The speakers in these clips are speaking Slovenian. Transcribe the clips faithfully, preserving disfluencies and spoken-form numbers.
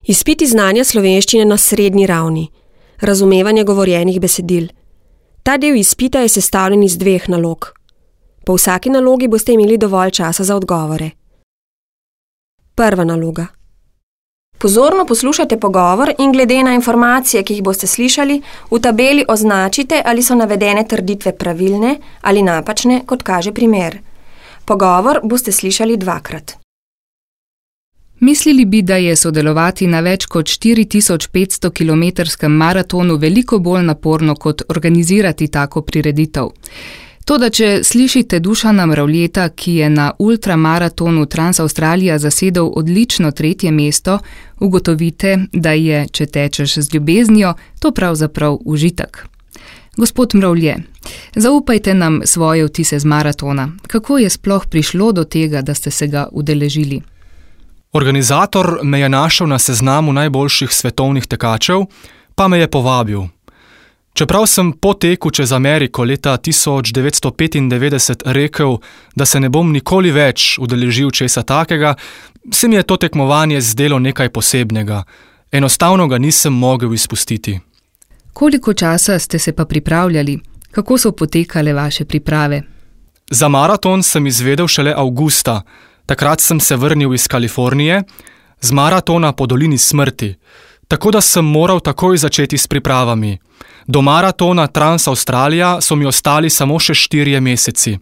Izpit iz znanja slovenščine na srednji ravni. Razumevanje govorjenih besedil. Ta del izpita je sestavljen iz dveh nalog. Po vsaki nalogi boste imeli dovolj časa za odgovore. Prva naloga. Pozorno poslušajte pogovor in glede na informacije, ki jih boste slišali, v tabeli označite, ali so navedene trditve pravilne ali napačne, kot kaže primer. Pogovor boste slišali dvakrat. Mislili bi, da je sodelovati na več kot štiri tisoč petsto kilometrskem maratonu veliko bolj naporno, kot organizirati tako prireditev. Toda če slišite Dušana Mravljeta, ki je na ultramaratonu Transavstralija zasedel odlično tretje mesto, ugotovite, da je, če tečeš z ljubeznijo, to pravzaprav užitek. Gospod Mravlje, zaupajte nam svoje vtise z maratona. Kako je sploh prišlo do tega, da ste se ga udeležili? Organizator me je našel na seznamu najboljših svetovnih tekačev, pa me je povabil. Čeprav sem po teku čez Ameriko leta tisoč devetsto petindevetdeset rekel, da se ne bom nikoli več udeležil česa takega, se mi je to tekmovanje zdelo nekaj posebnega. Enostavno ga nisem mogel izpustiti. Koliko časa ste se pa pripravljali? Kako so potekale vaše priprave? Za maraton sem izvedel šele avgusta. Takrat sem se vrnil iz Kalifornije, z maratona po dolini smrti, tako da sem moral takoj začeti s pripravami. Do maratona Transavstralija so mi ostali samo še štirje meseci.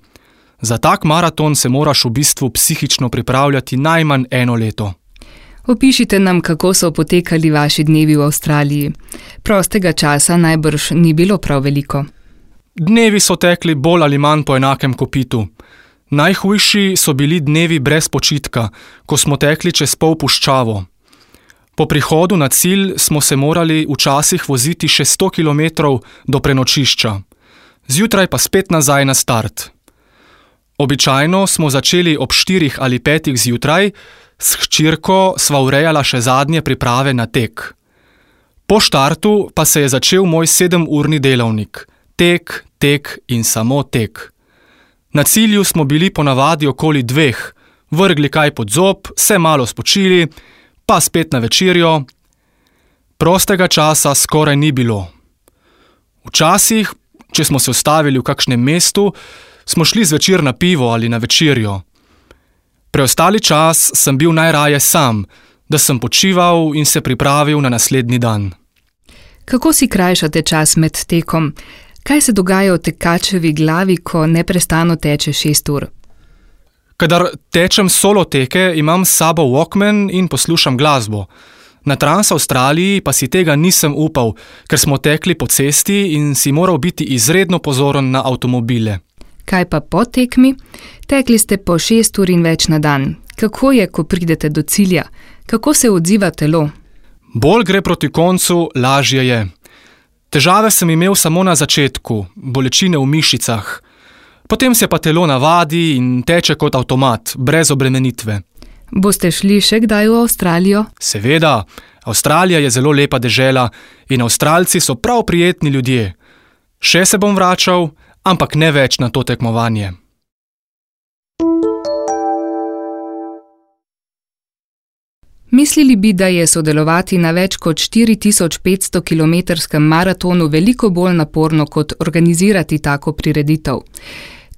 Za tak maraton se moraš v bistvu psihično pripravljati najmanj eno leto. Opišite nam, kako so potekali vaši dnevi v Avstraliji. Prostega časa najbrž ni bilo prav veliko. Dnevi so tekli bolj ali manj po enakem kopitu. Najhujši so bili dnevi brez počitka, ko smo tekli čez pol puščavo. Po prihodu na cilj smo se morali včasih voziti še sto kilometrov do prenočišča, zjutraj pa spet nazaj na start. Običajno smo začeli ob štirih ali petih zjutraj, s hčirko sva urejala še zadnje priprave na tek. Po štartu pa se je začel moj sedemurni delavnik. Tek, tek in samo tek. Na cilju smo bili ponavadi okoli dveh, vrgli kaj pod zob, se malo spočili, pa spet na večerjo. Prostega časa skoraj ni bilo. Včasih, če smo se ustavili v kakšnem mestu, smo šli zvečer na pivo ali na večerjo. Preostali čas sem bil najraje sam, da sem počival in se pripravil na naslednji dan. Kako si krajšate čas med tekom? Kaj se dogaja v tekačevi glavi, ko neprestano teče šest ur? Kadar tečem solo teke, imam s sabo Walkman in poslušam glasbo. Na Transavstraliji pa si tega nisem upal, ker smo tekli po cesti in si moral biti izredno pozoren na avtomobile. Kaj pa po tekmi? Tekli ste po šest ur in več na dan. Kako je, ko pridete do cilja? Kako se odziva telo? Bolj gre proti koncu, lažje je. Težave sem imel samo na začetku, bolečine v mišicah. Potem se pa telo navadi in teče kot avtomat, brez obremenitve. Boste šli še kdaj v Avstralijo? Seveda, Avstralija je zelo lepa dežela in Avstralci so prav prijetni ljudje. Še se bom vračal, ampak ne več na to tekmovanje. Mislili bi, da je sodelovati na več kot štiri tisoč petsto kilometrskem maratonu veliko bolj naporno, kot organizirati tako prireditev.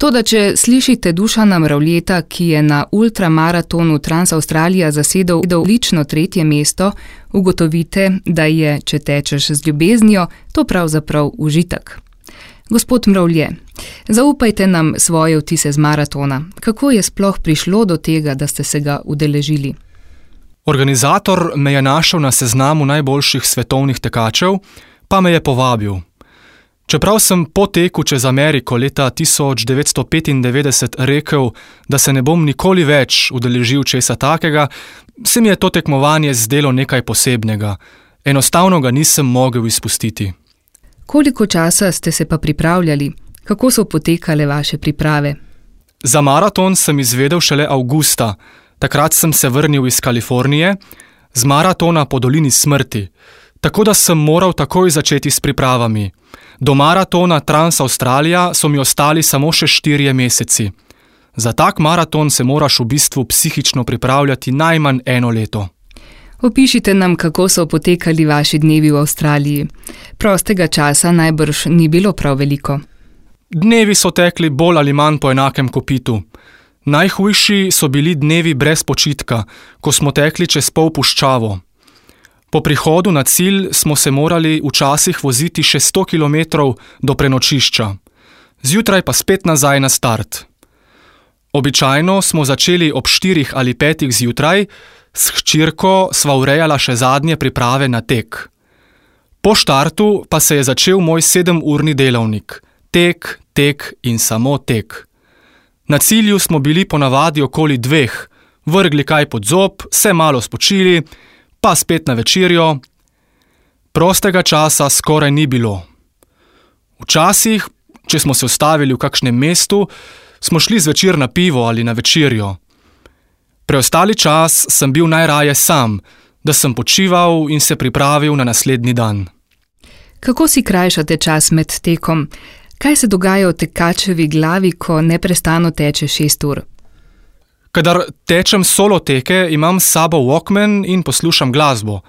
Toda če slišite Dušana Mravljeta, ki je na ultramaratonu Transavstralija zasedel odlično tretje mesto, ugotovite, da je, če tečeš z ljubeznijo, to pravzaprav užitek. Gospod Mravlje, zaupajte nam svoje vtise z maratona. Kako je sploh prišlo do tega, da ste se ga udeležili? Organizator me je našel na seznamu najboljših svetovnih tekačev, pa me je povabil. Čeprav sem po teku čez Ameriko leta tisoč devetsto petindevetdeset rekel, da se ne bom nikoli več udeležil česa takega, se mi je to tekmovanje zdelo nekaj posebnega. Enostavno ga nisem mogel izpustiti. Koliko časa ste se pa pripravljali? Kako so potekale vaše priprave? Za maraton sem izvedel šele avgusta. Takrat sem se vrnil iz Kalifornije, z maratona po dolini smrti, tako da sem moral takoj začeti s pripravami. Do maratona Transavstralija so mi ostali samo še štirje meseci. Za tak maraton se moraš v bistvu psihično pripravljati najmanj eno leto. Opišite nam, kako so potekali vaši dnevi v Avstraliji. Prostega časa najbrž ni bilo prav veliko. Dnevi so tekli bolj ali manj po enakem kopitu. Najhujši so bili dnevi brez počitka, ko smo tekli čez pol puščavo. Po prihodu na cilj smo se morali včasih voziti še sto kilometrov do prenočišča, zjutraj pa spet nazaj na start. Običajno smo začeli ob štirih ali petih zjutraj, s hčirko sva urejala še zadnje priprave na tek. Po štartu pa se je začel moj sedemurni delavnik. Tek, tek in samo tek. Na cilju smo bili ponavadi okoli dveh, vrgli kaj pod zob, se malo spočili, pa spet na večerjo. Prostega časa skoraj ni bilo. Včasih, če smo se ustavili v kakšnem mestu, smo šli zvečer na pivo ali na večerjo. Preostali čas sem bil najraje sam, da sem počival in se pripravil na naslednji dan. Kako si krajšate čas med tekom? Kaj se dogaja v tekačevi glavi, ko neprestano teče šest ur? Kadar tečem solo teke, imam s sabo Walkman in poslušam glasbo.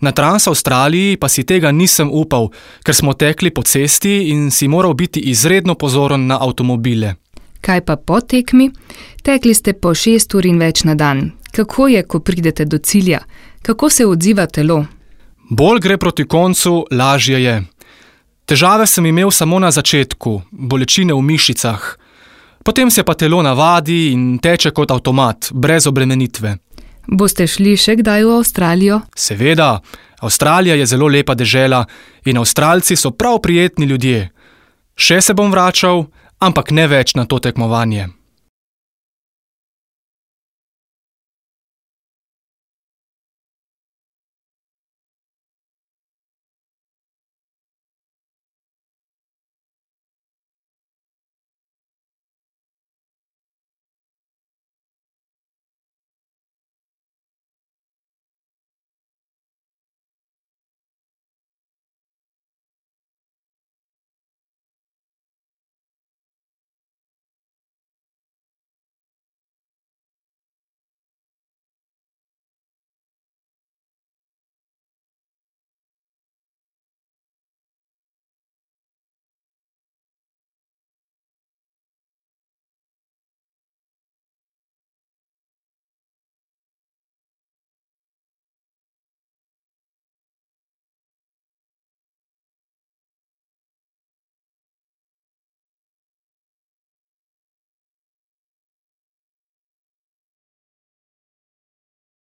Na Trans-Avstraliji pa si tega nisem upal, ker smo tekli po cesti in si moral biti izredno pozoren na avtomobile. Kaj pa po tekmi? Tekli ste po šest ur in več na dan. Kako je, ko pridete do cilja? Kako se odziva telo? Bolj gre proti koncu, lažje je. Težave sem imel samo na začetku, bolečine v mišicah. Potem se pa telo navadi in teče kot avtomat, brez obremenitve. Boste šli še kdaj v Avstralijo? Seveda, Avstralija je zelo lepa dežela in Avstralci so prav prijetni ljudje. Še se bom vračal, ampak ne več na to tekmovanje.